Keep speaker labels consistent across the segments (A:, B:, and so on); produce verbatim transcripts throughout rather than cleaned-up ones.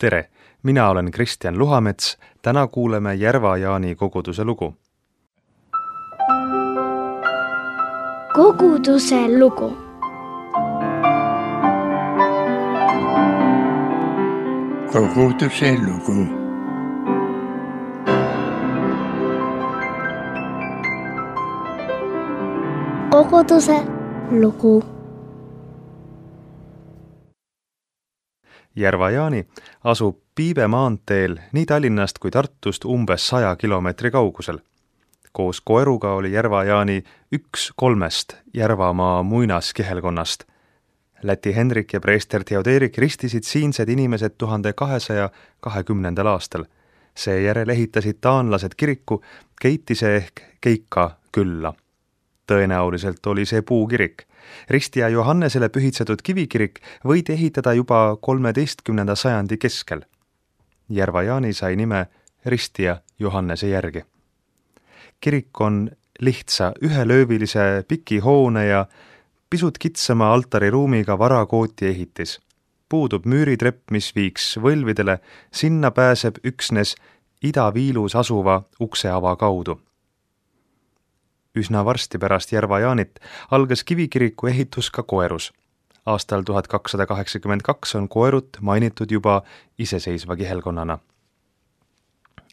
A: Tere, mina olen Kristjan Luhamets, täna kuuleme Järva-Jaani koguduse lugu.
B: Koguduse lugu.
C: Koguduse lugu.
B: Koguduse lugu.
A: Järva-Jaani asub Piibe maanteel nii Tallinnast kui Tartust umbes saja kilomeetri kaugusel. Koos koeruga oli Järva-Jaani üks kolmest Järvamaa muinaskihelkonnast. Läti Henrik ja preester Theoderik ristisid siinsed inimesed tuhande kahesaja kahekümnendal aastal. Seejärel ehitasid taanlased kiriku Keitise ehk Keika külla. Tõenäoliselt oli see puukirik. Ristija Johannesele pühitsetud kivikirik võidi ehitada juba kolmeteistkümnenda sajandi keskel. Järva-Jaani sai nime Ristija Johannese järgi. Kirik on lihtsa ühelöövilise piki hoone ja pisut kitsama altariruumiga varakooti ehitis. Puudub müüritrepp, mis viiks võlvidele, sinna pääseb üksnes idaviilus asuva ukseava kaudu. Üsna varsti pärast Järva-Jaanit algas kivikiriku ehitus ka Koerus. Aastal tuhat kakssada kaheksakümmend kaks on Koerut mainitud juba iseseisva kihelkonnana.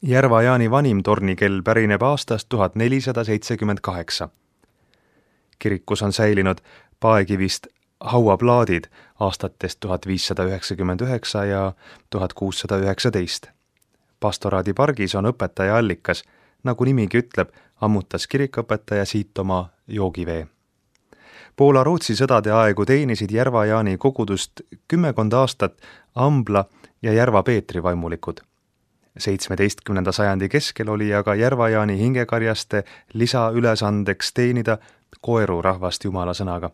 A: Järva-Jaani vanim tornikell pärineb aastast tuhat nelisada seitsekümmend kaheksa. Kirikus on säilinud paekivist hauaplaadid aastatest tuhat viissada üheksakümmend üheksa ja tuhat kuussada üheksateist. Pastoraadi pargis on õpetaja allikas, nagu nimigi ütleb, ammutas kirikõpetaja siit oma joogivee. Poola-Rootsi sõdade aegu teenisid Järva-Jaani kogudust kümmekond aastat Ambla ja Järva-Peetri vaimulikud. seitsmeteistkümnenda sajandi keskel oli aga Järva-Jaani hingekarjaste lisaülesandeks teenida Koeru rahvast jumala sõnaga.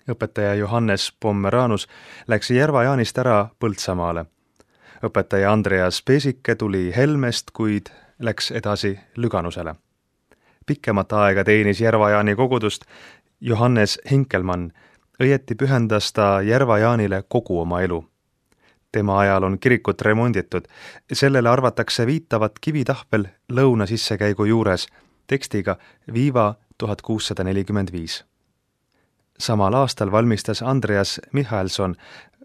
A: Õpetaja Johannes Pommeranus läks Järva-Jaanist ära Põltsamaale. Õpetaja Andreas Pesike tuli Helmest, kuid läks edasi Lüganusele. Pikemat aega teenis Järva-Jaani kogudust Johannes Hinkelmann, õieti pühendas ta Järva-Jaanile kogu oma elu. Tema ajal on kirikut remonditud, sellele arvatakse viitavat kivitahvel lõuna sissekäigu juures tekstiga Viiva tuhat kuussada nelikümmend viis. Samal aastal valmistas Andreas Michaelson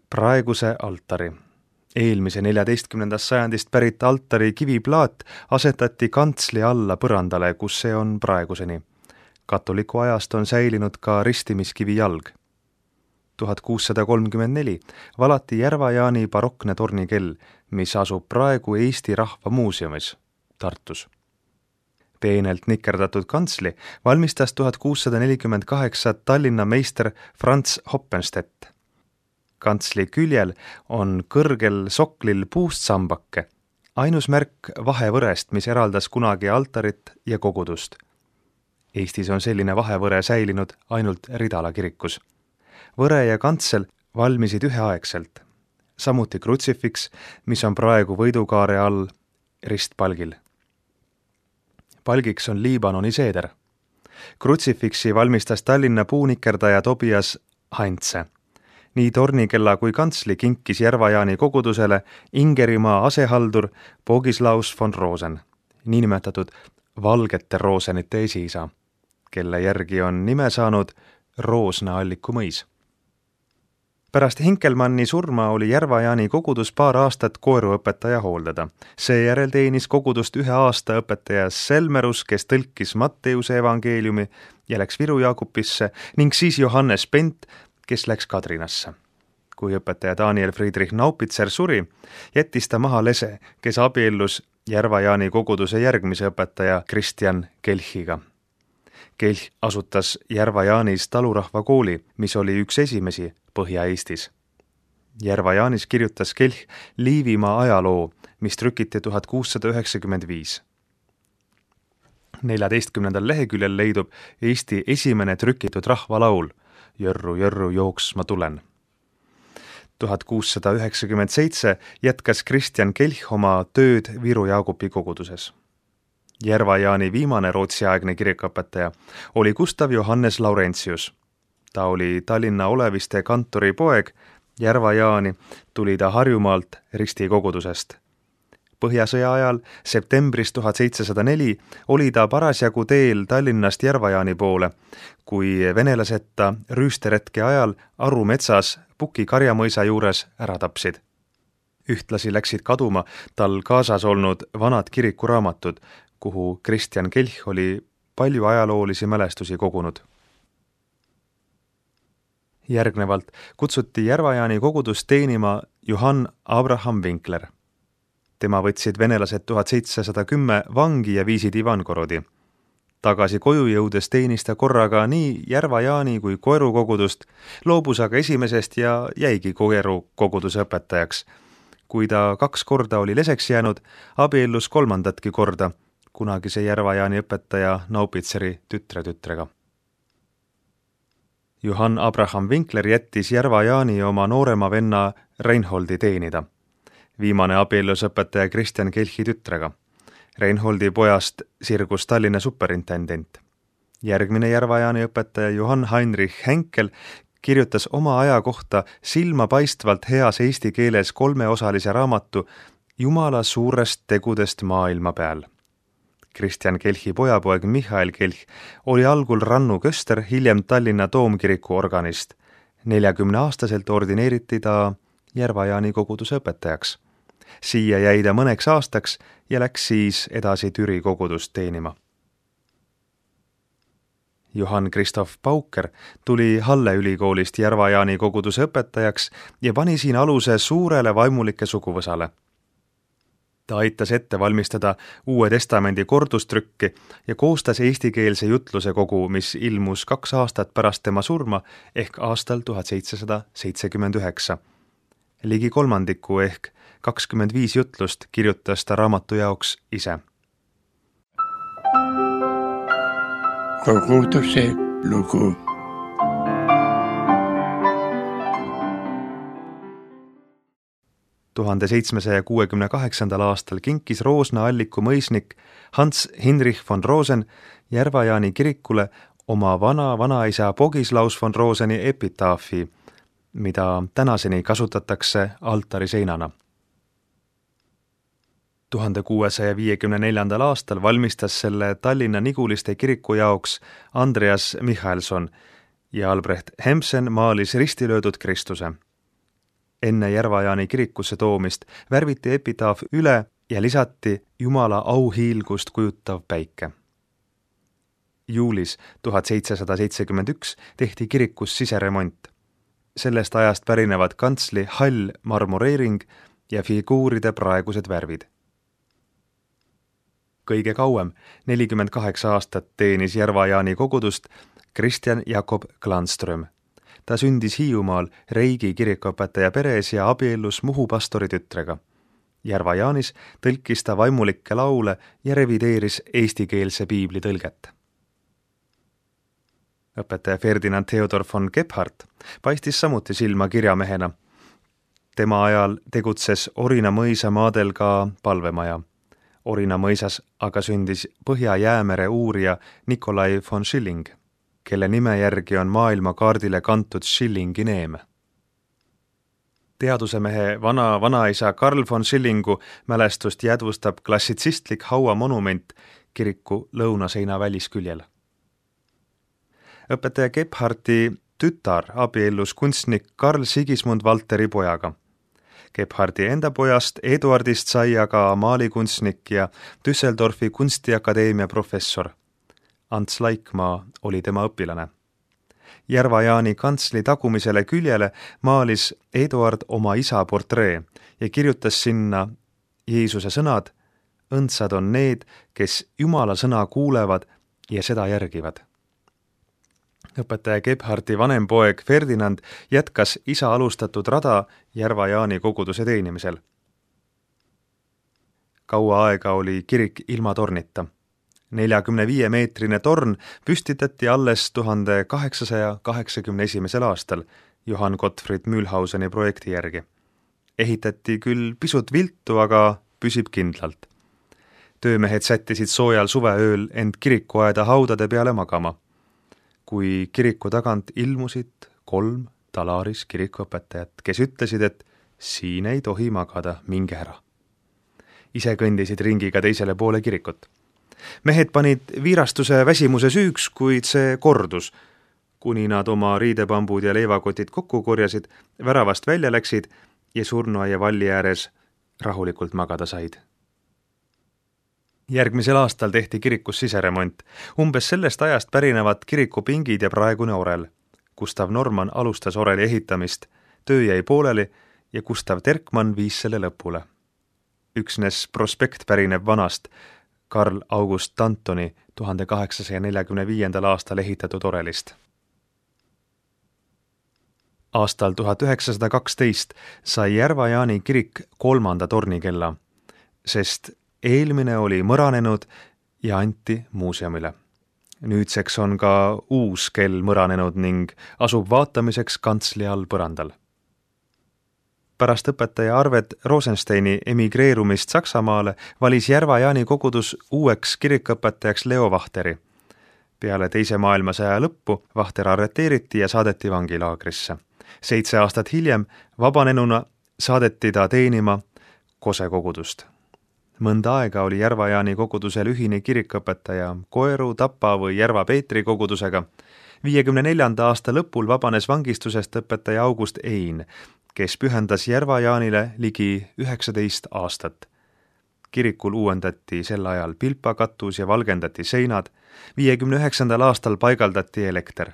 A: praeguse altari. Eelmise neljateistkümnendast sajandist pärit altari kiviplaat asetati kantsli alla põrandale, kus see on praeguseni. Katoliku ajast on säilinud ka ristimiskivi jalg. tuhat kuussada kolmkümmend neli valati Järva-Jaani barokne tornikell, mis asub praegu Eesti Rahva Muuseumis Tartus. Peenelt nikerdatud kantsli valmistas tuhat kuussada nelikümmend kaheksa Tallinna meister Franz Hoppenstedt. Kantsli küljel on kõrgel soklil puust sambake, ainus märk vahevõrest, mis eraldas kunagi altarit ja kogudust. Eestis on selline vahevõre säilinud ainult Ridala kirikus. Võre ja kantsel valmisid üheaegselt, samuti krutsifiks, mis on praegu võidukaare all ristpalgil. Palgiks on Liibanoni seeder. Krutsifiksi valmistas Tallinna puunikerdaja Tobias Hantse. Nii tornikella kui kantsli kinkis Järva-Jaani kogudusele Ingerimaa asehaldur Bogislaus von Rosen, niinimetatud valgete Rosenite esiisa, kelle järgi on nime saanud Roosna alliku mõis. Pärast Hinkelmanni surma oli Järva-Jaani kogudus paar aastat koeruõpetaja hooldada. Seejärel teenis kogudust ühe aasta õpetaja Selmerus, kes tõlkis Matteuse evangeeliumi ja läks Viru Jaakupisse, ning siis Johannes Pent, kes läks Kadrinasse. Kui õpetaja Daniel Friedrich Naupitser suri, jättis ta maha lese, kes abiellus Järva-Jaani koguduse järgmise õpetaja Kristjan Kelchiga. Kelch asutas Järva-Jaanis talurahva kooli, mis oli üks esimesi Põhja-Eestis. Järva-Jaanis kirjutas Kelch Liivimaa ajaloo, mis trükiti tuhat kuussada üheksakümmend viis. neljateistkümnendal leheküljel leidub Eesti esimene trükitud rahvalaul Jörru, jörru, jooks ma tulen. tuhat kuussada üheksakümmend seitse jätkas Kristjan Kelch oma tööd Viru Jaagupi koguduses. Järva-Jaani viimane rootsiaegne kirikõpetaja oli Gustav Johannes Laurentius. Ta oli Tallinna Oleviste kantori poeg Järva-Jaani tuli ta Harjumaalt Risti kogudusest. Põhjasõja ajal septembris tuhat seitsesada neli oli ta parasjagu teel Tallinnast Järva-Jaani poole, kui venelased ta rüüsteretke ajal Aru metsas Puki karjamõisa juures ära tapsid. Ühtlasi läksid kaduma tal kaasas olnud vanad kirikuraamatud, kuhu Kristjan Kelch oli palju ajaloolisi mälestusi kogunud. Järgnevalt kutsuti Järva-Jaani kogudust teenima Johann Abraham Winkler. Tema võtsid venelased tuhat seitsesada kümme vangi ja viisid Ivankorodi. Tagasi koju jõudes teenis ta korraga nii Järva-Jaani kui Koeru kogudust, loobus aga esimesest ja jäigi Koeru koguduse õpetajaks. Kui ta kaks korda oli leseks jäänud, abiellus kolmandatki korda, kunagise Järva-Jaani õpetaja Naupitseri tütre tütrega. Johann Abraham Winkler jättis Järva-Jaani oma noorema venna Reinholdi teenida. Viimane abiellus õpetaja Kristjan Kelchi tütrega. Reinholdi pojast sirgus Tallinna superintendent. Järgmine Järva-Jaani õpetaja Johann Heinrich Henkel kirjutas oma aja kohta silmapaistvalt heas eesti keeles kolmeosalise raamatu Jumala suurest tegudest maailma peal. Kristjan Kelchi pojapoeg Michael Kelch oli algul Rannu köster, hiljem Tallinna Toomkiriku organist. neljakümne aastaselt ordineeriti ta Järva-Jaani koguduse õpetajaks. Siia jäi ta mõneks aastaks ja läks siis edasi Türi kogudust teenima. Johann Christoph Pauker tuli Halle ülikoolist Järva-Jaani koguduse õpetajaks ja pani siin aluse suurele vaimulike suguvõsale. Ta aitas ette valmistada Uue Testamendi kordustrükki ja koostas eestikeelse jutluse kogu, mis ilmus kaks aastat pärast tema surma ehk aastal tuhat seitsesada seitsekümmend üheksa. Ligi kolmandiku ehk kakskümmend viis jutlust kirjutas ta raamatu jaoks ise.
C: Koguduse lugu.
A: tuhande seitsmesaja kuuekümne kaheksandal aastal kinkis Roosna alliku mõisnik Hans Hinrich von Rosen Järva-Jaani kirikule oma vana vanaisa Bogislaus von Roseni epitaafi, mida tänaseni kasutatakse altariseinana. tuhande kuuesaja viiekümne neljandal aastal valmistas selle Tallinna Niguliste kiriku jaoks Andreas Michalson ja Albrecht Hemsen maalis ristilöödud Kristuse. Enne Järva-Jaani kirikusse toomist värviti epitaaf üle ja lisati Jumala auhiilgust kujutav päike. Juulis tuhat seitsesada seitsekümmend üks tehti kirikus siseremont. Sellest ajast pärinevad kantsli hall marmoreering ja figuuride praegused värvid. Kõige kauem, nelikümmend kaheksa aastat, teenis Järva-Jaani kogudust Kristjan Jakob Glanström. Ta sündis Hiiumaal Reigi kirikuõpetaja peres ja abiellus Muhu pastori tütrega. Järva-Jaanis tõlkis ta vaimulikke laule ja revideeris eestikeelse piibli tõlget. Õpetaja Ferdinand Theodor von Gebhardt paistis samuti silma kirjamehena. Tema ajal tegutses Orina mõisa maadel ka palvemaja. Orina mõisas aga sündis Põhja-Jäämere uurija Nikolai von Schilling, kelle nime järgi on maailma kaardile kantud Schillingi neem. Teadusemehe vana vanaisa Karl von Schillingu mälestust jäädvustab klassitsistlik hauamonument kiriku lõunaseina välisküljel. Õpetaja Gebhardti tütar abiellus kunstnik Karl Sigismund Valteri pojaga. Gebhardi enda pojast Eduardist sai aga maalikunstnik ja Düsseldorfi kunstiakadeemia professor. Ants Laikmaa oli tema õpilane. Järva-Jaani kantsli tagumisele küljele maalis Eduard oma isa portree ja kirjutas sinna Jeesuse sõnad: õndsad on need, kes Jumala sõna kuulevad ja seda järgivad. Õpetaja Gebhardi vanem poeg Ferdinand jätkas isa alustatud rada Järva-Jaani koguduse teenimisel. Kaua aega oli kirik ilma tornita. neljakümne viie meetrine torn püstitati alles tuhande kaheksasaja kaheksakümne esimesel aastal Johann Gottfried Mühlhauseni projekti järgi. Ehitati küll pisut viltu, aga püsib kindlalt. Töömehed sättisid soojal suveööl end kirikuaeda haudade peale magama. Kui kiriku tagant ilmusid kolm talaaris kirikuõpetajat, kes ütlesid, et siin ei tohi magada, minge ära. Ise kõndisid ringiga teisele poole kirikut. Mehed panid viirastuse väsimuse süüks, kuid see kordus, kuni nad oma riidepambud ja leivakotid kokku korjasid, väravast välja läksid ja surnuaia valli ääres rahulikult magada said. Järgmisel aastal tehti kirikus siseremont. Umbes sellest ajast pärinevad kirikupingid ja praegune orel. Gustav Norman alustas oreli ehitamist, töö jäi pooleli ja Gustav Terkmann viis selle lõpule. Üksnes prospekt pärineb vanast Karl August Tantoni tuhande kaheksasaja neljakümne viiendal aastal ehitatud orelist. Aastal tuhat üheksasada kaksteist sai Järva-Jaani kirik kolmanda tornikella, sest eelmine oli mõranenud ja anti muuseumile. Nüüdseks on ka uus kell mõranenud ning asub vaatamiseks kantsli all põrandal. Pärast õpetaja Arvet Rosensteini emigreerumist Saksamaale valis Järva-Jaani kogudus uueks kirikõpetajaks Leo Vahteri. Peale teise maailmasõja lõppu Vahter arreteeriti ja saadeti vangilaagrisse. Seitse aastat hiljem vabanenuna saadeti ta teenima Kose kogudust. Mõnda aega oli Järva-Jaani kogudusel ühine kirikõpetaja Koeru, Tapa või Järva Peetri kogudusega. viiekümne neljanda aasta lõpul vabanes vangistusest õpetaja August Ein, kes pühendas Järva-Jaanile ligi üheksateist aastat. Kirikul uuendati sel ajal pilpakatus ja valgendati seinad, viiekümne üheksandal aastal paigaldati elekter.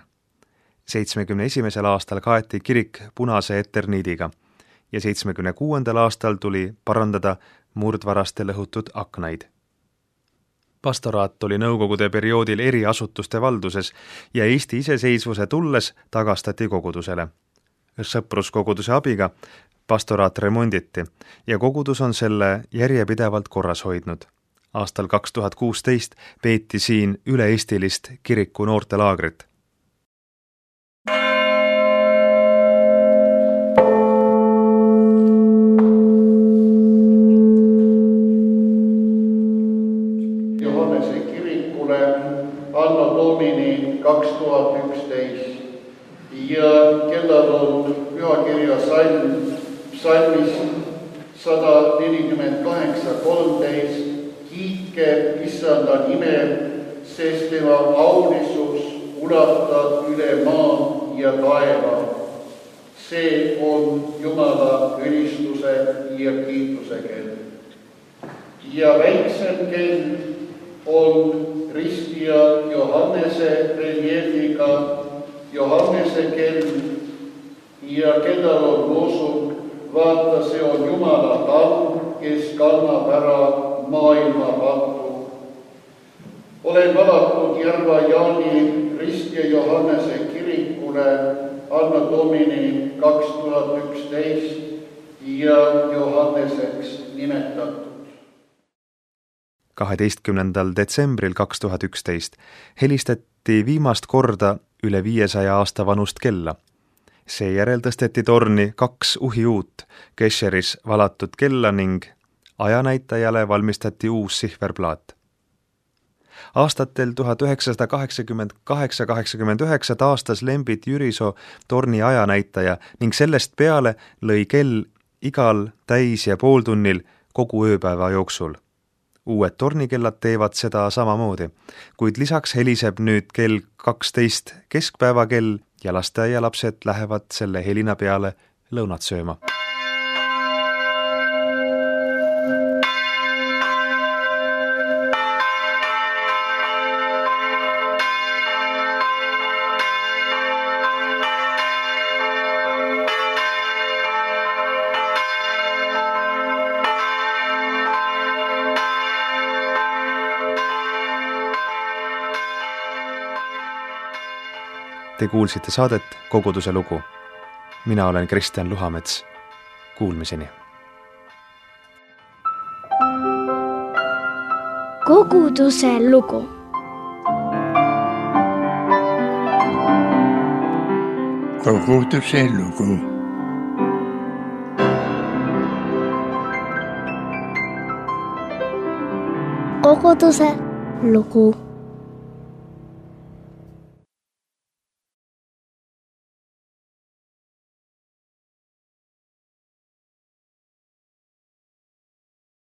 A: seitsmekümne esimesel aastal kaeti kirik punase eterniidiga ja seitsmekümne kuuendal aastal tuli parandada murdvaraste lõhutud aknaid. Pastoraat oli nõukogude perioodil eri asutuste valduses ja Eesti iseseisvuse tulles tagastati kogudusele. Sõpruskoguduse abiga pastoraat remonditi ja kogudus on selle järjepidevalt korras hoidnud. Aastal kaks tuhat kuusteist peeti siin üle-eestilist kiriku noortelaagrit.
D: Johannese kirikule Anno Domini kaks tuhat üksteist ja kellel on pühakirja salm, salmis sada nelikümmend kaheksa kolmteist. Kiitke Issanda nime, sest tema aulisus ulatab üle maa ja taeva. See on Jumala ülistuse ja kiituse kell. Ja väiksem kell on ristija Johannese reljeefiga Johannese kell ja kellel on loosung, vaata, see on Jumala tamm, kes kannab ära maailma pattu. Olen valatud Järva-Jaani ristja Johannese kirikule Anno Domini kaks tuhat üksteist ja Johanneseks nimetatud.
A: kaheteistkümnendal detsembril kaks tuhat üksteist helistati viimast korda üle viiesaja aasta vanust kella. Seejärel tõsteti torni kaks uhi uut Kesheris valatud kella ning ajanäitajale valmistati uus sihverplaat. Aastatel tuhat üheksasada kaheksakümmend kaheksa kaheksakümmend üheksa taastas Lembit Jürisoo torni ajanäitaja ning sellest peale lõi kell igal täis- ja pooltunnil kogu ööpäeva jooksul. Uued tornikellad teevad seda samamoodi, kuid lisaks heliseb nüüd kell kaksteist keskpäevakell ja lasteaialapsed lähevad selle helina peale lõunat sööma. Te kuulsite saadet Koguduse lugu. Mina olen Kristjan Luhamets. Kuulmiseni.
B: Koguduse lugu.
C: Koguduse lugu.
B: Koguduse lugu.